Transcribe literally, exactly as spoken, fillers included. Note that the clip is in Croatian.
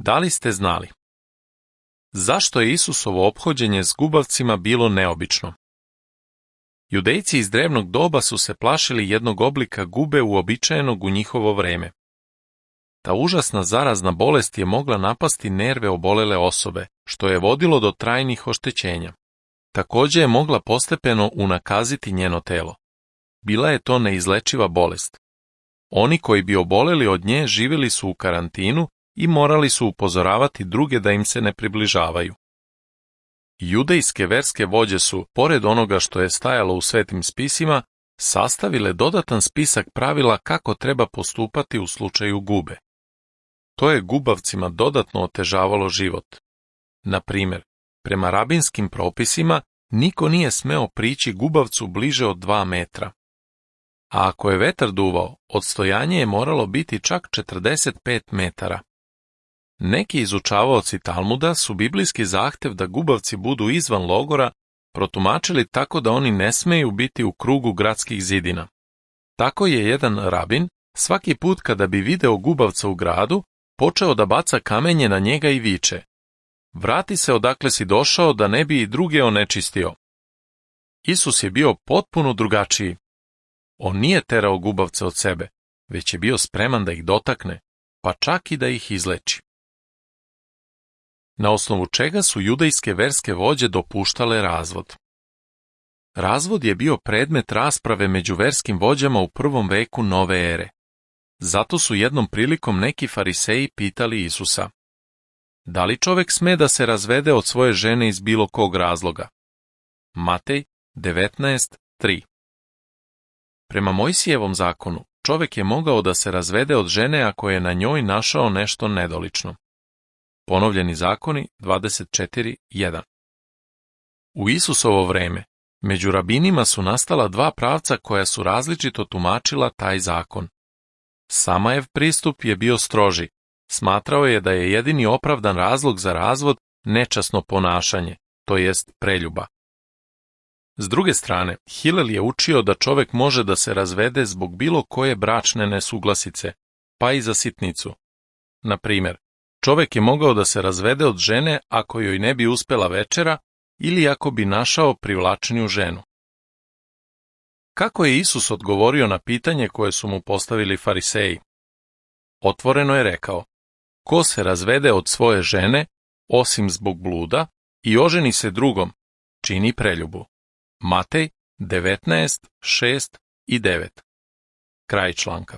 Da li ste znali? Zašto je Isusovo ophođenje s gubavcima bilo neobično? Judejci iz drevnog doba su se plašili jednog oblika gube uobičajenog u njihovo vreme. Ta užasna zarazna bolest je mogla napasti nerve obolele osobe, što je vodilo do trajnih oštećenja. Također je mogla postepeno unakaziti njeno telo. Bila je to neizlečiva bolest. Oni koji bi oboleli od nje živjeli su u karantinu i morali su upozoravati druge da im se ne približavaju. Judejske verske vođe su, pored onoga što je stajalo u svetim spisima, sastavile dodatan spisak pravila kako treba postupati u slučaju gube. To je gubavcima dodatno otežavalo život. Na primjer, prema rabinskim propisima, niko nije smeo prići gubavcu bliže od dva metra. A ako je vetar duvao, odstojanje je moralo biti čak četrdeset pet metara. Neki izučavaoci Talmuda su biblijski zahtev da gubavci budu izvan logora protumačili tako da oni ne smeju biti u krugu gradskih zidina. Tako je jedan rabin svaki put kada bi video gubavca u gradu počeo da baca kamenje na njega i viče: "Vrati se odakle si došao da ne bi i druge onečistio." Isus je bio potpuno drugačiji. On nije terao gubavce od sebe, već je bio spreman da ih dotakne, pa čak i da ih izleči. Na osnovu čega su judejske verske vođe dopuštale razvod? Razvod je bio predmet rasprave među verskim vođama u prvom veku nove ere. Zato su jednom prilikom neki fariseji pitali Isusa: "Da li čovek sme da se razvede od svoje žene iz bilo kog razloga?" Matej devetnaest tri. Prema Mojsijevom zakonu, čovek je mogao da se razvede od žene ako je na njoj našao nešto nedolično. Ponovljeni zakoni dvadeset četiri jedan. U Isusovo vreme, među rabinima su nastala dva pravca koja su različito tumačila taj zakon. Samajev pristup je bio stroži. Smatrao je da je jedini opravdan razlog za razvod nečasno ponašanje, to jest preljuba. S druge strane, Hilel je učio da čovek može da se razvede zbog bilo koje bračne nesuglasice, pa i za sitnicu. Na primjer, čovek je mogao da se razvede od žene ako joj ne bi uspela večera ili ako bi našao privlačniju ženu. Kako je Isus odgovorio na pitanje koje su mu postavili fariseji? Otvoreno je rekao: "Ko se razvede od svoje žene, osim zbog bluda, i oženi se drugom, čini preljubu." Matej devetnaest šest i devet. Kraj članka.